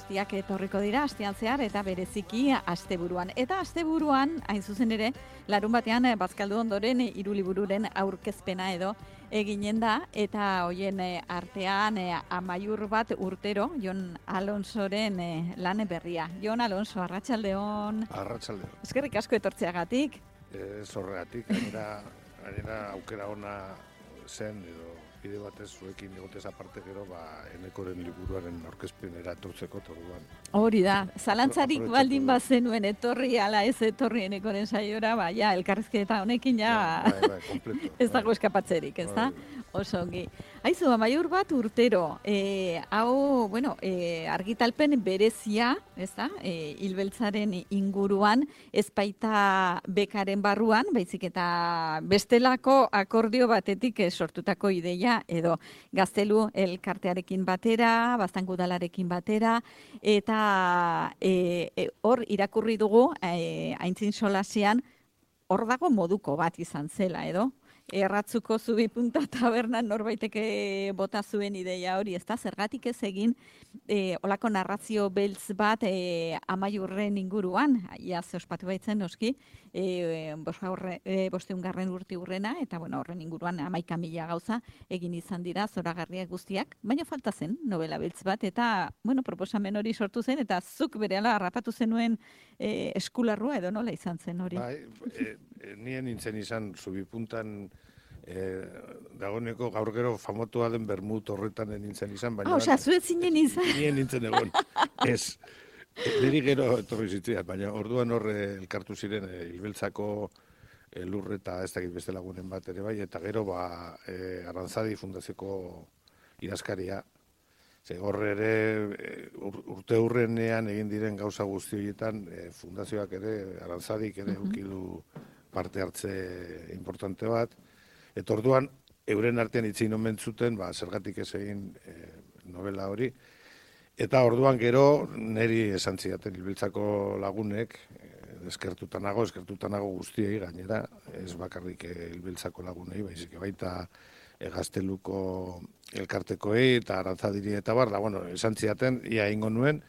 guztiak etorriko dira astean zehar eta bereziki asteburuan. Eta asteburuan, hain zuzen ere, larun batean bazkaldu ondoren 3 libururen aurkezpena edo eginen da, eta hoien artean Amaiur bat urtero, Jon Alonsoren lan berria. Jon Alonso, arratsaldeon. Arratsaldeon. Eskerrik asko etortzeagatik. Zorregatik, gainera aukera ona zen, edo bide batez zuekin egotez aparte gero, Enekoren liburuaren aurkezpenera etortzeko orduan. Hori da, zalantzarik baldin bazenuen etorri ala ez etorri Enekoren saiora, ja, elkarrizketa honekin Kompleto. Ez dago eskapatzerik, ez da? Oso ongi. Aizu, Amaiur bat urtero, hau, argitalpen berezia, ez da? Hilbeltzaren inguruan, ez baita bekaren barruan, baizik eta bestelako akordio batetik sortutako ideia, edo Gaztelu elkartearekin batera, Baztango udalarekin batera, eta hor irakurri dugu, Aintzin Solasean, hor dago moduko bat izan zela, edo? Erratzuko Zubi Punta tabernan norbaiteke bota zuen ideia hori, ezta? Zergatik ez egin olako narrazio beltz bat Amaiurren inguruan, ia ze ospatu baitzen noski, 500. urte urrena, eta horren inguruan 11.000 gauza egin izan dira zoragarriak guztiak, baina falta zen novela beltz bat, eta proposamen hori sortu zen, eta zuk berehala harrapatu zenuen eskularrua edo nola izan zen hori? Nien nintzen izan Zubipuntan dagoeneko gaur gero famotua den Bermut horretan nintzen izan, baina... Osea, zuet zinen izan. Nien nintzen egon. Ez, niri gero etorri zitziat, baina orduan horre elkartu ziren Hilbeltzako lurreta ez dakit beste lagunen bat ere bai, eta gero Arantzadi fundazioko idazkaria. Horre ere urte hurrenean egin diren gauza guzti horietan fundazioak ere, Arantzadik ere ukidu parte hartze importante bat. Eta orduan, euren artean itzein omen zuten, zergatik ez egin novela hori. Eta orduan gero, niri esan zidaten Hilbeltzako lagunek, eskertuta nago guztiei gainera, ez bakarrik Hilbeltzako lagunei, baizik baita Gazteluko elkartekoei eta Arantzadiri eta bar, esan zidaten, ia egingo nuen,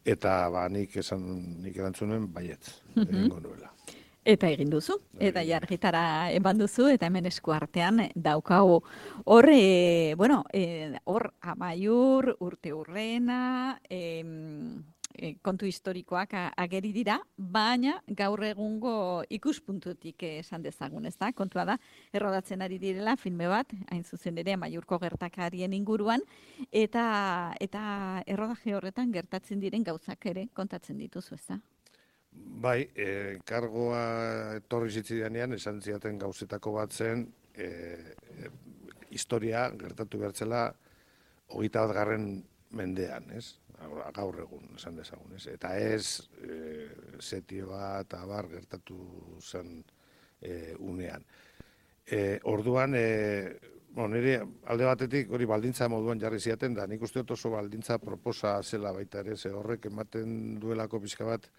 eta nik erantzun nuen baietz, egingo nuela. Eta egin duzu, eta argitara eman duzu, eta hemen esku artean daukagu. Hor, hor Amaiur, urte hurrena, kontu historikoak ageri dira, baina gaur egungo ikuspuntutik esan dezagun, ez da? Kontua da, errodatzen ari direla filme bat, hain zuzen ere Amaiurko gertakarien inguruan, eta errodaje horretan gertatzen diren gauzak ere kontatzen dituzu, ez da? Bai, kargoa etorri zitzidanean, esan zidaten gauzetako bat zen, historia gertatu behartzela 21. mendean, ez? Gaur egun, esan dezagun, ez? Eta ez setio bat abar gertatu zen unean. Orduan, nire alde batetik hori baldintza moduan jarri ziaten da, nik uste dut oso baldintza proposa zela baita ere, ze horrek ematen duelako pixka bat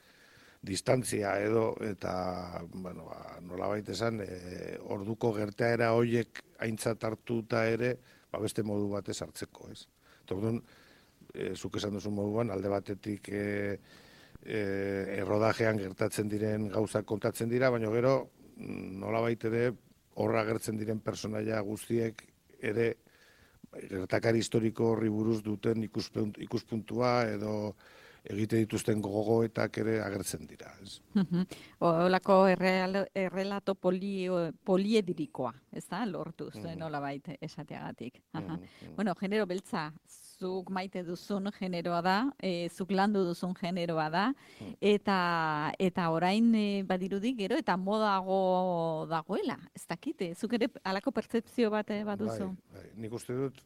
distantzia edo, eta nolabait esan, orduko gertaera horiek aintzat hartuta ere, beste modu batez hartzeko, ez? Orduan, zuk esan duzu moduan, alde batetik errodajean gertatzen diren gauzak kontatzen dira, baina gero, nolabait ere, horra gertzen diren personaia guztiek ere, gertakari historiko horri buruz duten ikuspuntua edo egite dituzten gogoetak ere agertzen dira. Olako errelato poliedirikoa, ez da, lortuz, nolabait esateagatik. Genero beltza, zuk maite duzun generoa da, zuk landu duzun generoa da, eta orain badirudi gero eta modago dagoela, ez dakite, zuk ere alako pertzepzio bat baduzu. Nik uste dut,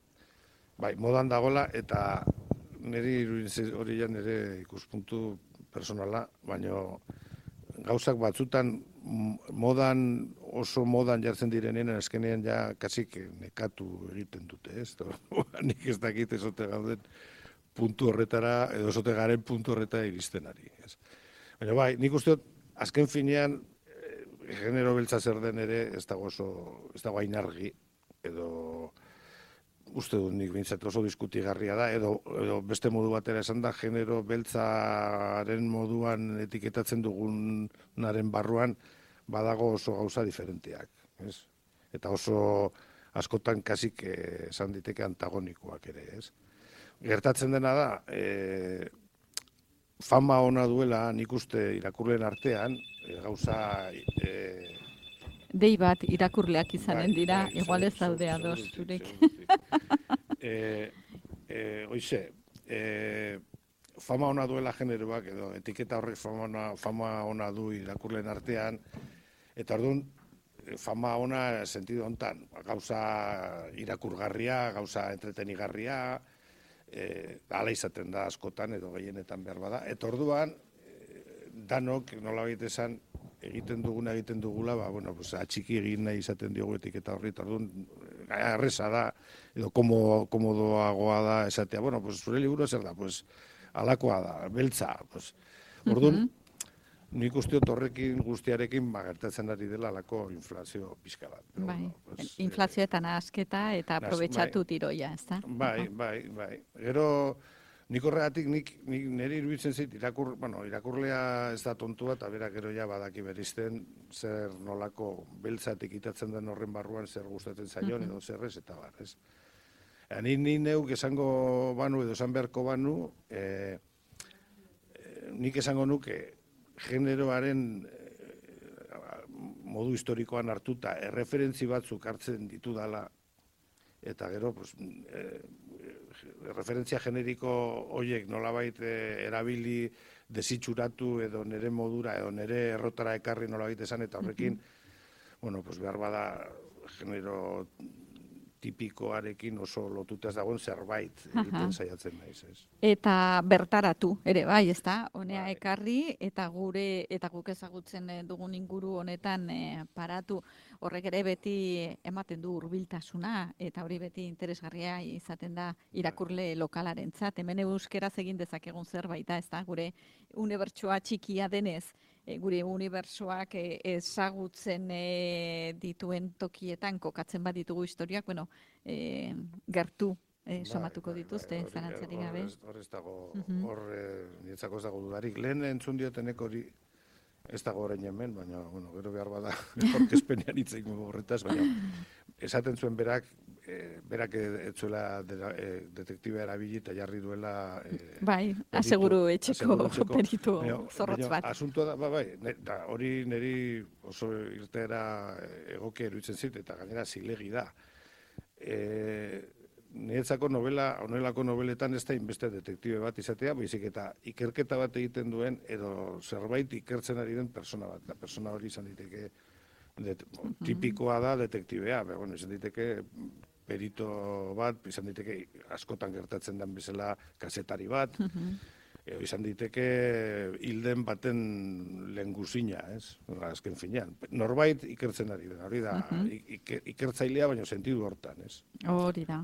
modan dagoela, eta niri hori nire ikuspuntu personala, baina gauzak batzutan oso modan jartzen direnean, eskenean ja kasik nekatu egiten dute, ez? Nik ez dakit ezote gauden puntu horretara, edo ezote garen puntu horretara iristen ari. Baina nik uste dut, azken finean, genero beltza zer den ere, ez dago hain argi, edo uste dut nik bintzat oso diskutigarria da, edo beste modu batera esan da, genero beltzaren moduan etiketatzen dugunaren barruan badago oso gauza diferenteak, ez? Eta oso askotan kasik esan diteke antagonikoak ere, ez? Gertatzen dena da, fama ona duela nik uste irakurleen artean, gauza... Dei bat irakurleak izanen dira, bai, igual ez daude ados zurek. Oize, fama ona duela generoak, edo etiketa horrek fama ona du irakurleen artean, eta orduan, fama ona sentido hontan, gauza irakurgarria, gauza entretenigarria, hala izaten da askotan, edo gehienetan behar bada, eta orduan, danok, nolabait esan, egiten dugula, pues, atxiki egin nahi izaten diogu etiketa horri, eta orduan, erresa da, edo komodoagoa da esatea, pues, zure liburu zer da, pues, alakoa da, beltza, pues, orduan, nik uste dut horrekin guztiarekin gertatzen ari dela alako inflazio pixka bat. Bai, inflazio eta nahasketa eta aprobetxatu tiroia, ez da? Bai. Gero, nik horregatik, niri iruditzen zait, irakurlea ez da tontua, eta berak gero ja badaki berizten zer nolako beltzatik itatzen den horren barruan zer gustatzen zaion, edo zerrez, eta bar, ez? Ni neuk esango banu, edo esan beharko banu, nik esango nuke, generoaren modu historikoan hartuta erreferentzi batzuk hartzen ditu dala, eta gero, pues, referentzia generiko horiek nolabait erabili desitxuratu edo nere modura edo nere errotara ekarri nolabait esan, eta horrekin, pues behar bada genero tipikoarekin oso lotuta ez dagoen zerbait egiten saiatzen naiz, ez? Eta bertaratu ere bai, ezta? Honea ekarri eta guk ezagutzen dugun inguru honetan paratu, horrek ere beti ematen du hurbiltasuna eta hori beti interesgarria izaten da irakurle lokalarentzat. Hemen euskeraz egin dezakegun zerbait da, ezta? Gure unibertsoa txikia denez, gure unibertsoak ezagutzen dituen tokietan kokatzen bat ditugu historiak, gertu somatuko dituzte, zalantzarik gabe. Hor ez dago, niretzako ez dago dudarik. Lehen entzun diotenek hori ez dago orain hemen, baina, gero behar bada, orkezpenean hitzeik horretaz, baina esaten zuen berak etzuela detektiba erabili eta jarri duela... Bai, aseguru etxeko peritu zorrotz bat. Asuntua da, hori niri oso irteera egokia iruditzen zit, eta gainera zilegi da. Niretzako honelako nobeletan ez da inbeste detektibe bat izatea, baizik eta ikerketa bat egiten duen, edo zerbait ikertzen ari den persona bat. Da persona hori izan diteke, tipikoa da detektibea, izan diteke perito bat, izan diteke askotan gertatzen den bezala kazetari bat, izan diteke hilden baten lehengusina, ez? Azken finean. Norbait ikertzen ari da, hori da, ikertzailea baina sentidu hortan, ez? Hori da.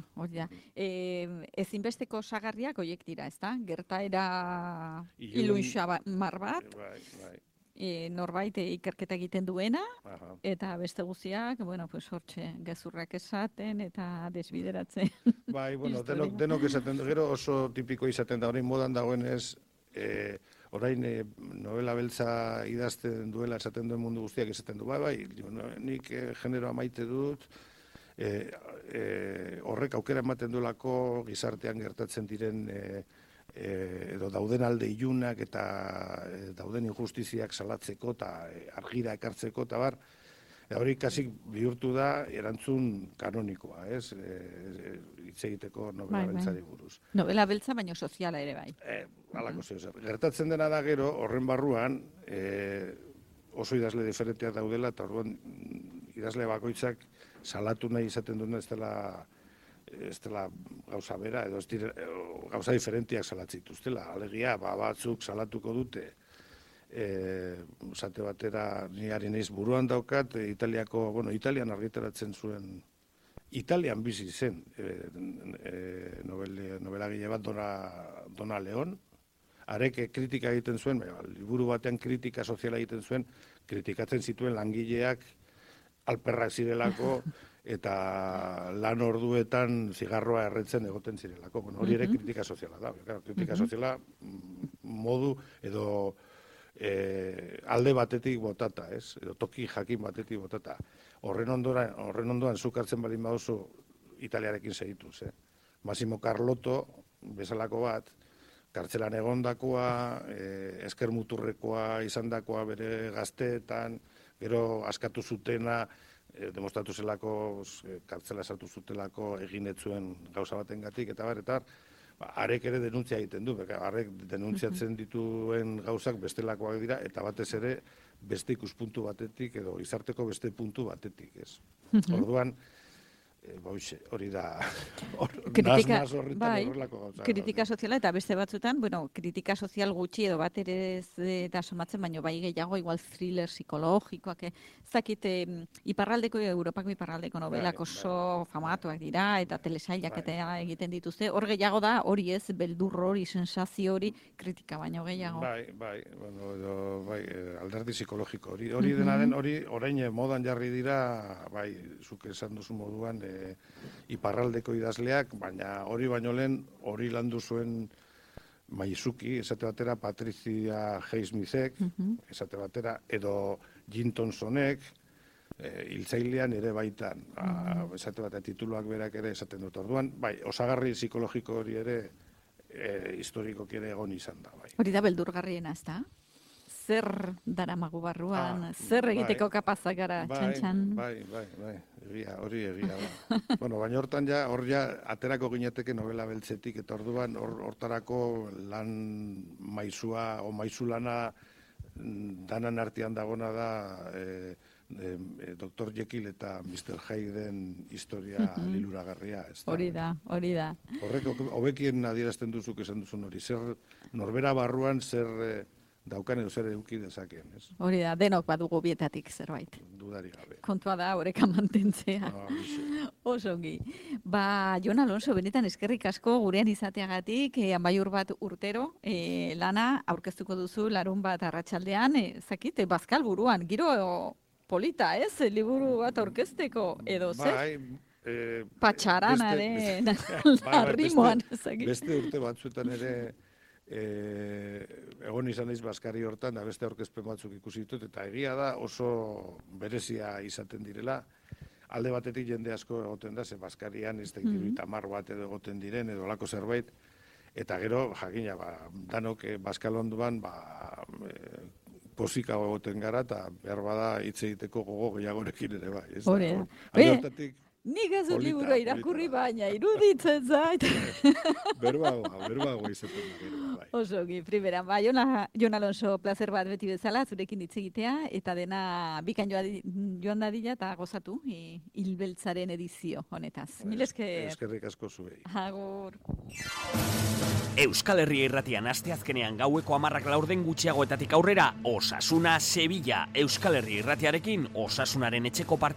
Ezinbesteko osagarriak horiek dira, ez da? Gertaera ilunxamar bat, norbait ikerketa egiten duena, eta beste guztiak, hortxe, gezurrak esaten eta desbideratzen. Bai, denok esaten du, gero oso tipiko izaten da, orain modan dagoenez, orain novela beltza idazten duela esaten duen mundu guztiak esaten du, nik generoa maite dut, horrek aukera ematen duelako gizartean gertatzen diren edo dauden alde ilunak eta dauden injustiziak salatzeko eta argira ekartzeko eta bar, hori kasik bihurtu da erantzun kanonikoa, ez? Hitz egiteko novela beltzari buruz. Novela beltza baino soziala ere bai. Halako zer. Gertatzen dena da gero, horren barruan, oso idazle diferenteak daudela, eta orduan idazle bakoitzak salatu nahi izaten duen ez dela gauza bera, edo gauza diferentiak salatzituztela. Alegia, batzuk salatuko dute, esate batera, niari naiz buruan daukat, Italian argitaratzen zuen, Italian bizi zen novelagile bat Dona Leon, arek kritika egiten zuen, liburu batean kritika soziala egiten zuen, kritikatzen zituen langileak alperrak zirelako, eta lan orduetan zigarroa erretzen egoten zirelako. Bueno, hori ere kritika soziala da. Kritika soziala modu edo alde batetik botata, ez? Edo toki jakin batetik botata. Horren ondoan zuk hartzen baldin baduzu Italiarekin segituz, Massimo Carlotto bezalako bat, kartzelan egondakoa, esker muturrekoa izandakoa bere gazteetan, gero askatu zutena, demostratu zelako, kartzela sartu zutelako eginetzuen gauza batengatik eta bar, arek ere denuntzia egiten du, arek denuntziatzen dituen gauzak bestelakoak dira, eta batez ere beste ikuspuntu batetik, edo izarteko beste puntu batetik, ez. Orduan, hori da, kritika, naz horretan horrelako gauza. Kritika soziala eta beste batzutan, kritika sozial gutxi edo bat ere ez da somatzen, baina bai gehiago, igual thriller psikologikoak, zakit, Europako iparraldeko novelak oso famatuak dira, eta telesailak eta egiten dituzte, hor gehiago da, hori ez, beldur hori, sensazio hori, kritika baino gehiago. Bai, alderdi psikologiko hori dena den, hori orain modan jarri dira, bai, zuk esan duzu moduan, iparraldeko idazleak, baina hori baino lehen, hori landu zuen Maizuki, esate batera Patricia Highsmithek, esate batera, edo Jim Thompsonek, hiltzailean ere baitan, esate batera tituluak berak ere esaten dut orduan, bai, osagarri psikologiko hori ere historikoki ere egon izan da, bai. Hori da beldurgarriena, ez da? Zer daramagu barruan, zer egiteko kapazak gara, txantxan? Bai, hori egia da. Bueno, baina hortan hor aterako gineteke novela beltzetik, eta orduan hortarako lan maizua, o maizulana danan artean dagona da Dr. Jekyll eta Mr. Hyden historia liluragarria. Hori da. Horrek hobekien adierazten duzuk esan duzun hori, zer norbera barruan zer daukan edo zer eduki dezakeen, ez? Hori da, denok badugu bietatik zerbait. Dudari gabe. Kontua da, horeka mantentzea. Osongi. Jon Alonso, benetan eskerrik asko gurean izateagatik, Amaiur bat urtero, lana aurkeztuko duzu larun bat arratsaldean, zakit, bazkal buruan, giro polita, ez? Liburu bat aurkezteko, edo zer? Patxaranaren, arrimoan, zakit. Beste urte batzuetan ere, egon izan naiz bazkari hortan, da beste aurkezpen batzuk ikusi ditut, eta egia da oso berezia izaten direla. Alde batetik jende asko egoten da, ze bazkarian ez da ikiruita bat edo egoten diren, edo lako zerbait, eta gero, jakina, danok bazkal onduan, posika egoten gara, eta behar bada hitz egiteko gogo gehiagorekin ere bai. Hori da. Nik ez dut liburu irakurri baina, iruditzen zait. Berbago izaten da. Osoki, primeran, Jon Alonso, placer bat beti bezala, zurekin hitz egitea, eta dena bikan joan dadila eta gozatu, hilbeltzaren edizio honetaz. Mil esker. Eskerrik asko zuei. Agur. Euskal Herria Irratian asteazkenean gaueko 10:00 gutxiagoetatik aurrera, Osasuna Sevilla. Euskal Herria Irratiarekin Osasunaren etxeko partida